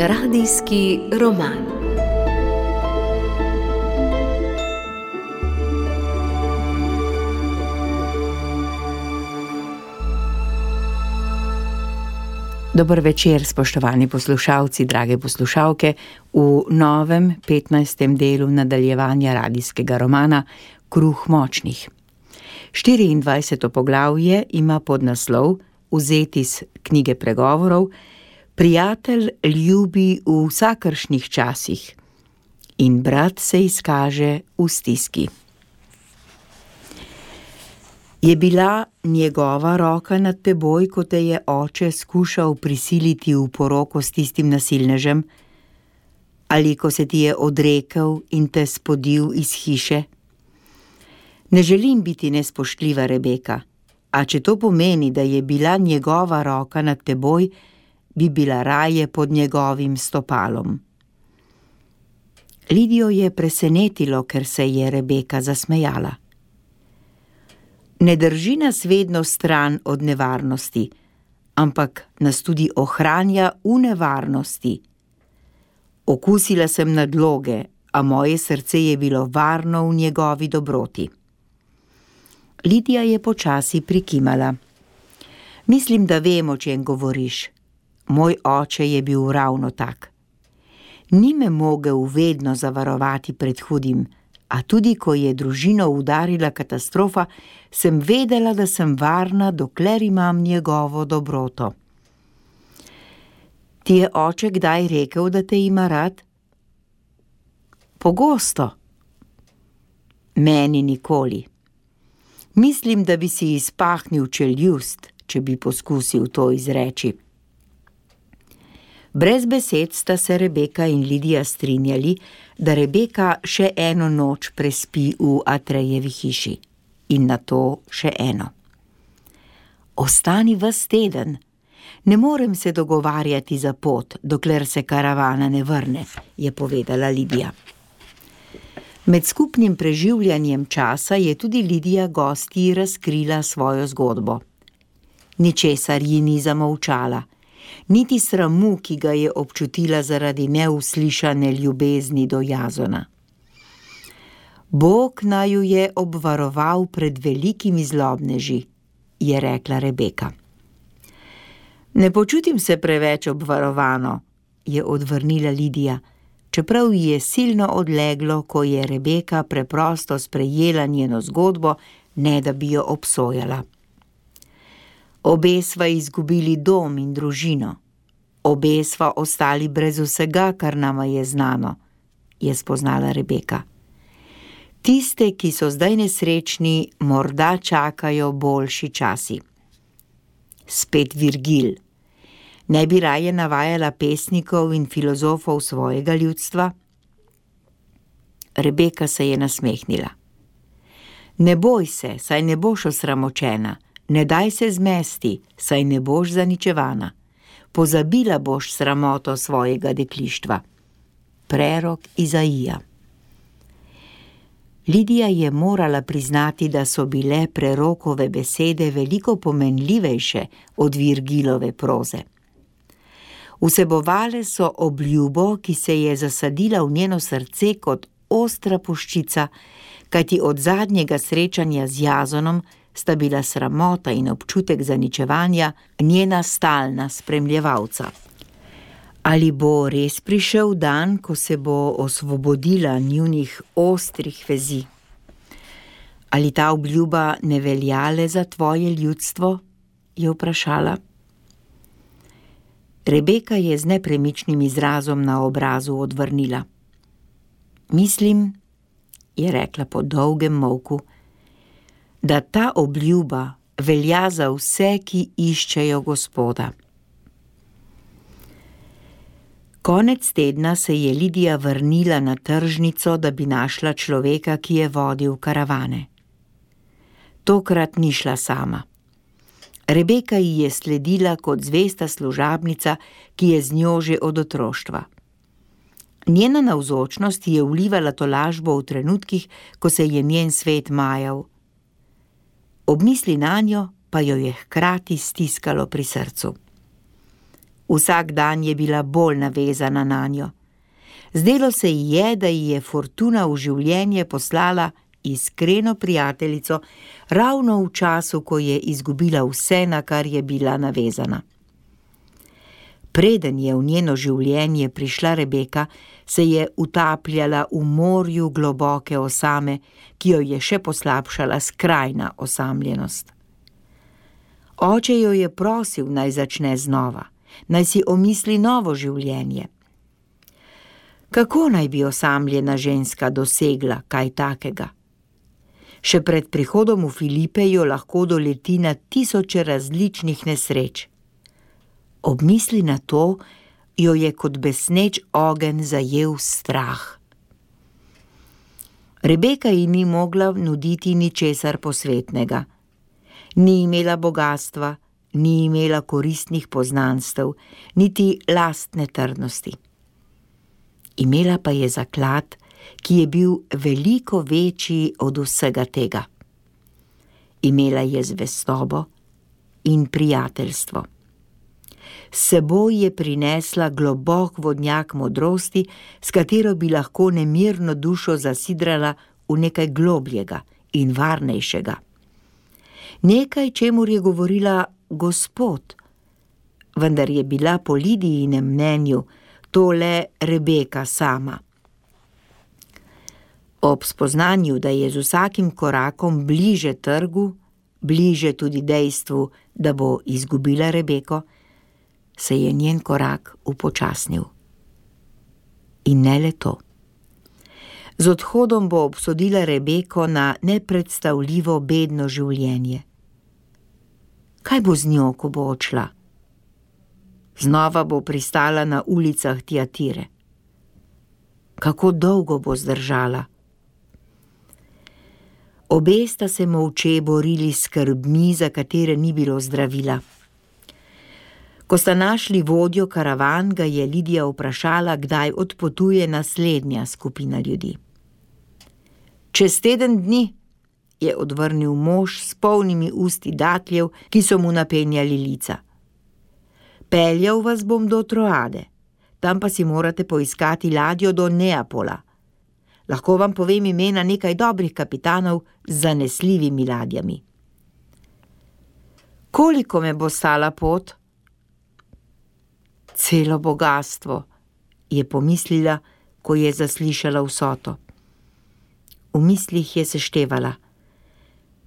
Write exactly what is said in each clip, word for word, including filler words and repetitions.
Radijski roman. Dober večer, spoštovani poslušalci, drage poslušalke, v novem petnajstem delu nadaljevanja radijskega romana Kruh močnih. štiriindvajseto poglavje ima podnaslov, vzet iz knjige pregovorov, Prijatelj ljubi v vsakršnih časih in brat se izkaže v stiski. Je bila njegova roka nad teboj, ko te je oče skušal prisiliti v poroko s tistim nasilnežem, ali ko se ti je odrekel in te spodil iz hiše? Ne želim biti nespoštljiva, Rebeka, a če to pomeni, da je bila njegova roka nad teboj, bi bila raje pod njegovim stopalom. Lidijo je presenetilo, ker se je Rebeka zasmejala. Ne drži nas vedno stran od nevarnosti, ampak nas tudi ohranja v nevarnosti. Okusila sem nadloge, a moje srce je bilo varno v njegovi dobroti. Lidija je počasi prikimala. Mislim, da vem, o čem govoriš. Moj oče je bil ravno tak. Ni me mogel vedno zavarovati pred hudim, a tudi ko je družino udarila katastrofa, sem vedela, da sem varna, dokler imam njegovo dobroto. Ti je oče kdaj rekel, da te ima rad? Pogosto. Meni nikoli. Mislim, da bi si izpahnil čeljust, če bi poskusil to izreči. Brez besed sta se Rebeka in Lidija strinjali, da Rebeka še eno noč prespi v Atrejevi hiši in nato še eno. Ostani ves teden. Ne morem se dogovarjati za pot, dokler se karavana ne vrne, je povedala Lidija. Med skupnim preživljanjem časa je tudi Lidija gostji razkrila svojo zgodbo. Ničesar ji ni zamolčala. Niti sramu, ki ga je občutila zaradi neuslišane ljubezni do Jazona. Bog naju je obvaroval pred velikimi zlobneži, je rekla Rebeka. Ne počutim se preveč obvarovano, je odvrnila Lidija, čeprav ji je silno odleglo, ko je Rebeka preprosto sprejela njeno zgodbo, ne da bi jo obsojala. Obe sva izgubili dom in družino. Obe sva ostali brez vsega, kar nama je znano, je spoznala Rebeka. Tiste, ki so zdaj nesrečni, morda čakajo boljši časi. Spet Virgil. Ne bi raje navajala pesnikov in filozofov svojega ljudstva? Rebeka se je nasmehnila. Ne boj se, saj ne boš osramočena. Ne daj se zmesti, saj ne boš zaničevana. Pozabila boš sramoto svojega deklištva. Prerok Izaija. Lidija je morala priznati, da so bile prerokove besede veliko pomenljivejše od Virgilove proze. Vsebovale so obljubo, ki se je zasadila v njeno srce kot ostra puščica, kajti od zadnjega srečanja z Jazonom sta bila sramota in občutek zaničevanja njena stalna spremljevalca. Ali bo res prišel dan, ko se bo osvobodila njunih ostrih vezi? Ali ta obljuba ne velja le za tvoje ljudstvo? Je vprašala. Rebeka je z nepremičnim izrazom na obrazu odvrnila. Mislim, je rekla po dolgem molku, da ta obljuba velja za vse, ki iščejo Gospoda. Konec tedna se je Lidija vrnila na tržnico, da bi našla človeka, ki je vodil karavane. Tokrat ni šla sama. Rebeka ji je sledila kot zvesta služabnica, ki je z njo že od otroštva. Njena navzočnost je vlivala tolažbo v trenutkih, ko se je njen svet majal. Ob misli nanjo pa jo je hkrati stiskalo pri srcu. Vsak dan je bila bolj navezana nanjo. Zdelo se ji je, da ji je fortuna v življenje poslala iskreno prijateljico ravno v času, ko je izgubila vse, na kar je bila navezana. Preden je v njeno življenje prišla Rebeka, se je utapljala v morju globoke osame, ki jo je še poslabšala skrajna osamljenost. Oče jo je prosil, naj začne znova, naj si omisli novo življenje. Kako naj bi osamljena ženska dosegla kaj takega? Še pred prihodom v Filipe jo lahko doleti na tisoče različnih nesreč. Ob misli na to jo je kot besneč ogenj zajel strah. Rebeka ji ni mogla nuditi ničesar posvetnega. Ni imela bogastva, ni imela koristnih poznanstev, niti lastne trdnosti. Imela pa je zaklad, ki je bil veliko večji od vsega tega. Imela je zvestobo in prijateljstvo. S seboj je prinesla globok vodnjak modrosti, s katero bi lahko nemirno dušo zasidrala v nekaj globljega in varnejšega. Nekaj, čemur je govorila Gospod, vendar je bila po Lidijinem mnenju to le Rebeka sama. Ob spoznanju, da je z vsakim korakom bliže trgu, bliže tudi dejstvu, da bo izgubila Rebeko, se je njen korak upočasnil. In ne le to. Z odhodom bo obsodila Rebeko na nepredstavljivo bedno življenje. Kaj bo z njo, ko bo odšla? Znova bo pristala na ulicah Tiatire. Kako dolgo bo zdržala? Obe sta se molče borili s skrbmi, za katere ni bilo zdravila. Ko sta našli vodjo karavan, ga je Lidija vprašala, kdaj odpotuje naslednja skupina ljudi. Čez teden dni, je odvrnil mož s polnimi usti datljev, ki so mu napenjali lica. Peljal vas bom do Troade, tam pa si morate poiskati ladjo do Neapola. Lahko vam povem imena nekaj dobrih kapitanov z zanesljivimi ladjami. Koliko me bo stala pot? Celo bogastvo, je pomislila, ko je zaslišala vsoto. V mislih je seštevala.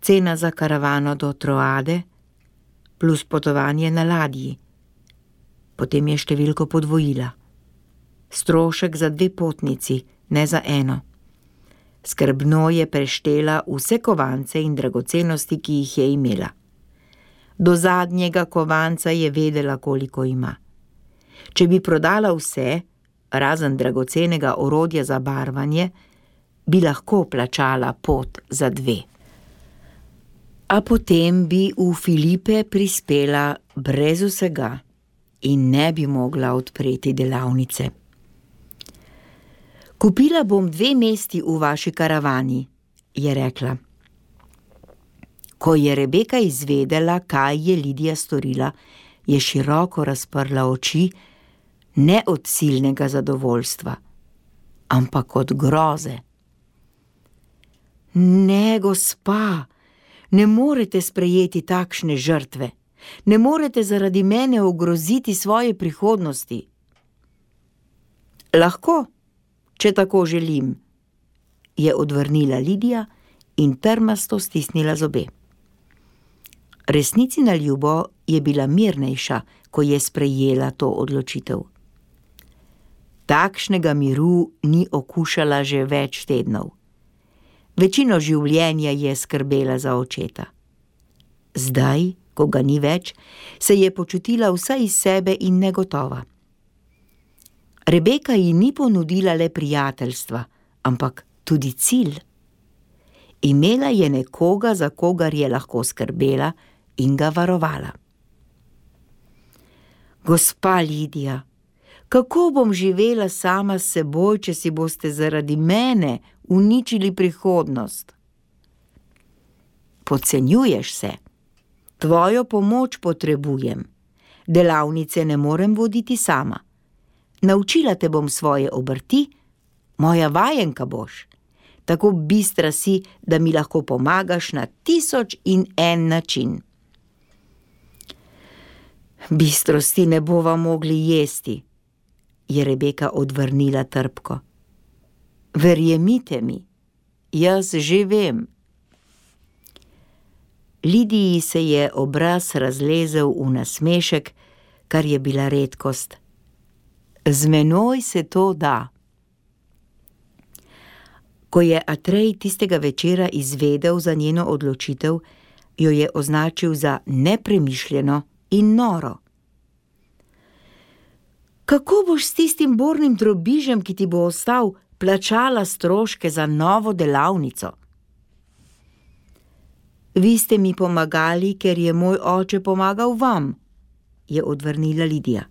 Cena za karavano do Troade plus potovanje na ladji. Potem je številko podvojila. Strošek za dve potnici, ne za eno. Skrbno je preštela vse kovance in dragocenosti, ki jih je imela. Do zadnjega kovanca je vedela, koliko ima. Če bi prodala vse, razen dragocenega orodja za barvanje, bi lahko plačala pot za dve. A potem bi v Filipe prispela brez vsega in ne bi mogla odpreti delavnice. Kupila bom dve mesti v vaši karavani, je rekla. Ko je Rebeka izvedela, kaj je Lidija storila, je široko razprla oči, ne od silnega zadovoljstva, ampak od groze. Ne, gospa, ne morete sprejeti takšne žrtve, ne morete zaradi mene ogroziti svoje prihodnosti. Lahko, če tako želim, je odvrnila Lidija in trmasto stisnila zobe. Resnici na ljubo je bila mirnejša, ko je sprejela to odločitev. Takšnega miru ni okušala že več tednov. Večino življenja je skrbela za očeta. Zdaj, ko ga ni več, se je počutila vsa iz sebe in negotova. Rebeka ji ni ponudila le prijateljstva, ampak tudi cilj. Imela je nekoga, za kogar je lahko skrbela in ga varovala. Gospa Lidija, kako bom živela sama s seboj, če si boste zaradi mene uničili prihodnost? Podcenjuješ se. Tvojo pomoč potrebujem. Delavnice ne morem voditi sama. Naučila te bom svoje obrti, moja vajenka boš. Tako bistra si, da mi lahko pomagaš na tisoč in en način. Bistrosti ne bova mogli jesti, je Rebeka odvrnila trpko. Verjemite mi, jaz že vem. Lidiji se je obraz razlezel v nasmešek, kar je bila redkost. Z menoj se to da. Ko je Atrej tistega večera izvedel za njeno odločitev, jo je označil za nepremišljeno in noro. Kako boš s tistim bornim drobižem, ki ti bo ostal, plačala stroške za novo delavnico? Vi ste mi pomagali, ker je moj oče pomagal vam, je odvrnila Lidija.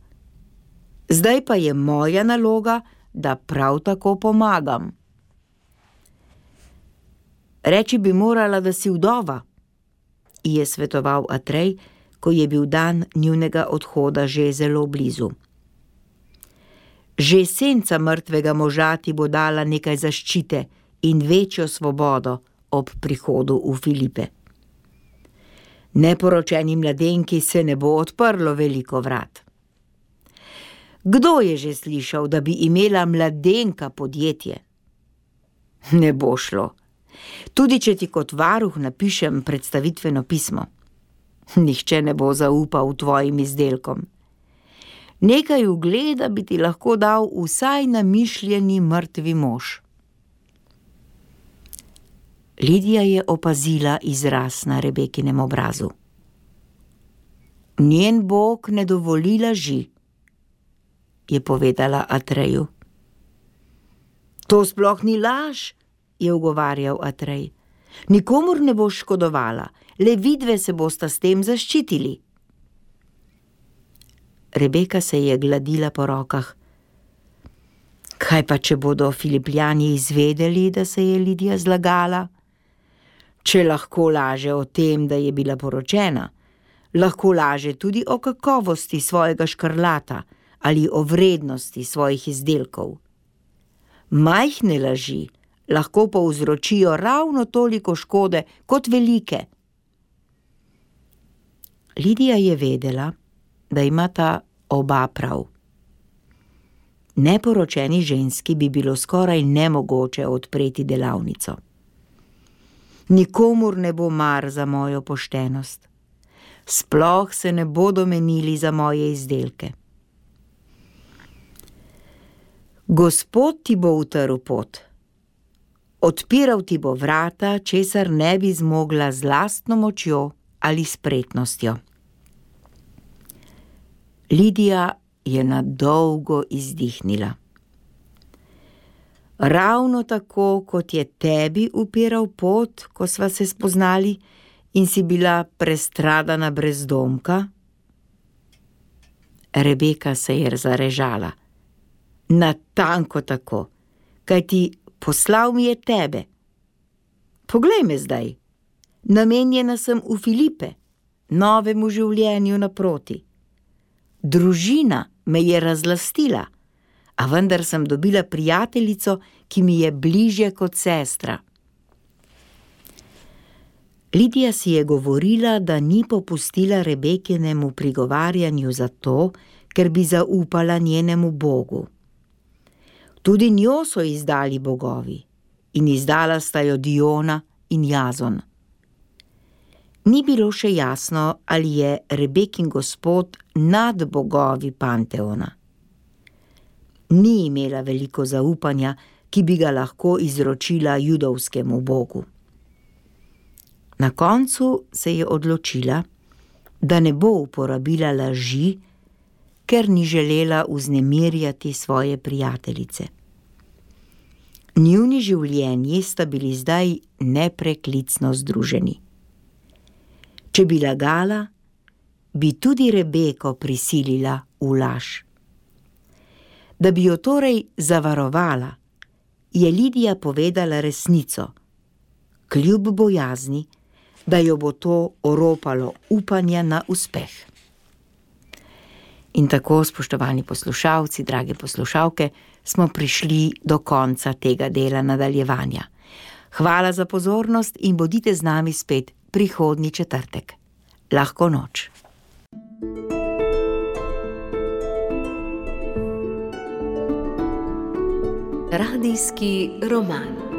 Zdaj pa je moja naloga, da prav tako pomagam. Reči bi morala, da si vdova, ji je svetoval Atrej, ko je bil dan njunega odhoda že zelo blizu. Že senca mrtvega moža ti bo dala nekaj zaščite in večjo svobodo ob prihodu v Filipe. Neporočeni mladenki se ne bo odprlo veliko vrat. Kdo je že slišal, da bi imela mladenka podjetje? Ne bo šlo. Tudi če ti kot varuh napišem predstavitveno pismo. Nihče ne bo zaupal tvojim izdelkom. Nekaj ugleda bi ti lahko dal vsaj namišljeni mrtvi mož. Lidija je opazila izraz na Rebekinem obrazu. Njen Bog ne dovoli laži, je povedala Atreju. To sploh ni laž, je ugovarjal Atrej. Nikomur ne boš škodovala, le vidve se bosta s tem zaščitili. Rebeka se je gladila po rokah. Kaj pa, če bodo Filipljani izvedeli, da se je Lidija zlagala? Če lahko laže o tem, da je bila poročena, lahko laže tudi o kakovosti svojega škrlata ali o vrednosti svojih izdelkov. Majhne laži lahko povzročijo ravno toliko škode kot velike. Lidija je vedela, da imata oba prav. Neporočeni ženski bi bilo skoraj nemogoče odpreti delavnico. Nikomur ne bo mar za mojo poštenost. Sploh se ne bodo menili za moje izdelke. Gospod ti bo utrl pot. Odpiral ti bo vrata, česar ne bi zmogla z lastno močjo ali spretnostjo. Lidija je na dolgo izdihnila. Ravno tako, kot je tebi upiral pot, ko sva se spoznali in si bila prestradana brezdomka? Rebeka se je zarežala. Natanko tako, kajti poslal mi je tebe. Poglej me zdaj, namenjena sem v Filipe, novemu življenju naproti. Družina me je razlastila, a vendar sem dobila prijateljico, ki mi je bližje kot sestra. Lidija si je govorila, da ni popustila Rebekinemu prigovarjanju zato, ker bi zaupala njenemu Bogu. Tudi njo so izdali bogovi in izdala sta jo Diona in Jazon. Ni bilo še jasno, ali je Rebekin gospod nad bogovi Panteona. Ni imela veliko zaupanja, ki bi ga lahko izročila judovskemu bogu. Na koncu se je odločila, da ne bo uporabila laži, ker ni želela vznemirjati svoje prijateljice. Njuni življenji sta bili zdaj nepreklicno združeni. Če bi lagala, bi tudi Rebeko prisilila v laž. Da bi jo torej zavarovala, je Lidija povedala resnico, kljub bojazni, da jo bo to oropalo upanja na uspeh. In tako, spoštovani poslušalci, drage poslušalke, smo prišli do konca tega dela nadaljevanja. Hvala za pozornost in bodite z nami spet prihodnji četrtek. Lahko noč. Radijski roman.